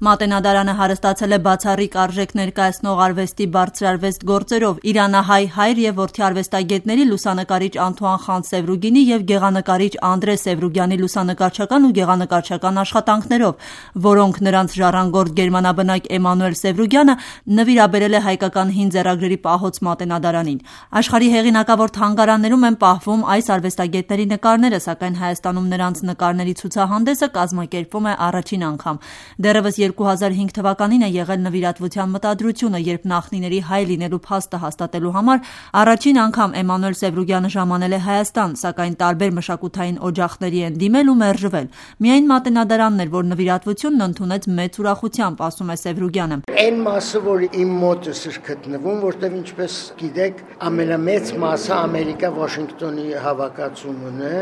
Մատենադարանը հարստացել է բացառիկ արժեք ներկայացնող արվեստի բարձրարվեստ գործերով, իրանահայ հայր և որդի արվեստագետների լուսանկարիչ Անթուան Խան Սևրուգինի և գեղանկարիչ Անդրե Սևրուգյանի լուսանկարչական ու գեղանկարչական աշխատանքներով, որոնք նրանց ժառանգորդ գերմանաբնակ Էմանուել Սևրուգյանը նվիրաբերել է հայկական հին ձեռագրերի պահոց Մատենադարանին։ Աշխարհի հեղինակավոր թանգարաններում են պահվում այս արվեստագետների նկարները, սակայն Հայաստանում նրանց նկարների ցուցահանդեսը կազմակերպվում է առաջին անգամ։ Դեռևս 2005 թվականին է եղել նվիրատվության մտադրությունը, երբ նախնիների հայ լինելու փաստը հաստատելու համար առաջին անգամ Էմանուել Սևրուգյանը ժամանել է Հայաստան, սակայն տարբեր մշակութային օջախների են դիմել ու մերժվել։ Միայն Մատենադարանն էր, որ նվիրատվությունն ընդունեց մեծ ուրախությամբ, ասում է Սևրուգյանը։ Այն մասը, որ իմ մոտս էր գտնվում, որտեղ ինչպես գիտեք, ամենամեծ մասը Ամերիկա Վաշինգտոնի հավաքածուումն է,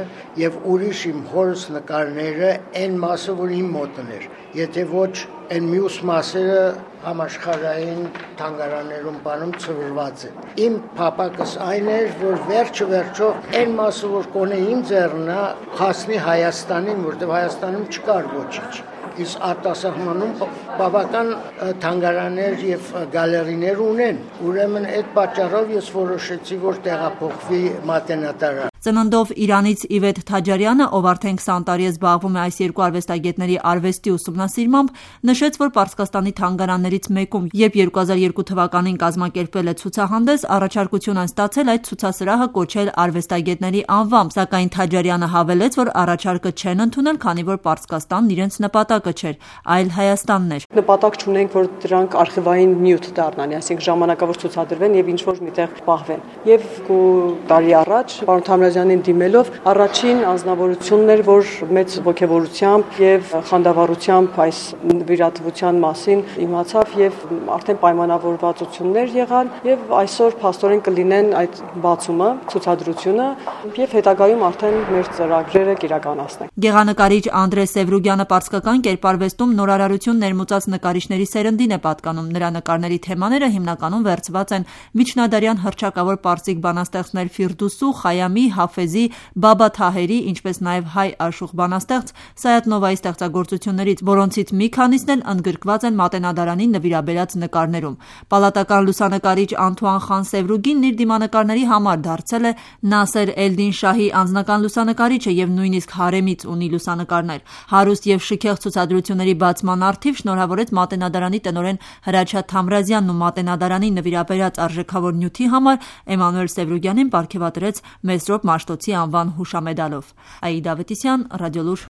եւ ուրիշ իմ հորս նկարները այն մասը, որ իմ մոտն էր։ Եթե ոչ այն մյուս մասերը համաշխարհային թանգարաններում բանում ծրված են։ Իմ փափակս այն էր, որ վերջը այն մասը, որ կոնե իմ ձեռնա, հասնի Հայաստանին, որտեղ Հայաստանում չկար ոչինչ։ Իսկ արտասահմանում բավական թանգարաններ եւ գալերիներ ունեն։ Ուրեմն այդ պատճառով ես որոշեցի, որ տեղափոխվի Մատենադարան։ Ծննդով Իրանից Իվետ Թաջարյանը, ով արդեն 20 տարի է զբաղվում է այս երկու արվեստագետների արվեստի ուսումնասիրմամբ, նշեց, որ Պարսկաստանի թանգարաններից մեկում, երբ 2002 թվականին կազմակերպվել է ցուցահանդես, առաջարկություն են ստացել այդ ցուցասրահը կոչել արվեստագետների անվամբ, սակայն Թաջարյանը հավելեց, որ առաջարկը չեն ընդունել, քանի որ Պարսկաստանն իրենց նպատակը չէր, այլ Հայաստանն էր։ Նպատակ չունենք, որ դրանք արխիվային նյութ դառնան, այսինքն ժամանակավոր ցուցադրվեն եւ ինչ-որ միտեղ պահվեն։ Եվ տարի առաջ պարոն Թամրազյանին դիմելով առաջին անձնավորությունն էր, որ մեծ ողջավորությամբ եւ խանդավառությամբ այս նվիրատվության մասին իմացավ եւ արդեն պայմանավորվածություններ եղան եւ այսօր փաստորեն կլինեն այդ բացումը, ցուցադրությունը եւ հետագայում արդեն մեր ծրագրերը կիրականացնենք։ Գեղանկարիչ Անդրե Սևրուգյանը պարսկական կերպարվեստում նորարարություն ներմուծած նկարիչների սերնդին է պատկանում։ Նրա նկարների թեմաները հիմնականում վերցված են միջնադարյան հռչակավոր պարսիկ բանաստեղծներ Ֆիրդուսու, Խայամի, Հաֆեզի, Բաբա Թահերի, ինչպես նաև հայ աշխուղ բանաստեղծ Սայաթ Նովայի ստեղծագործություններից, որոնցից մի քանիսն էլ ընդգրկված են Մատենադարանին նվիրաբերած նկարներում։ Պալատական լուսանկարիչ Անթուան Խան Սևրուգինն իր դիմանկարների համար դարձել է Նասեր Էլդին Շահի անձնական լուսանկարիչը եւ նույնիսկ հարեմից ունի լուսանկարներ։ Հարուստ եւ շքեղ ցուցադրությունների բացման առթիվ շնորհավորեց Մատենադարանի տնօրեն Հրաչյա Թամրազյանն ու Մատենադարանին նվիրաբերած արժեքավոր նյութի համար Էմանուել Սևրուգյանին պարգևատրեց Մեսրոպ Մաշտոցի անվան հուշամեդալով։ Աիդա Ավետիսյան, Ռադիոլուր։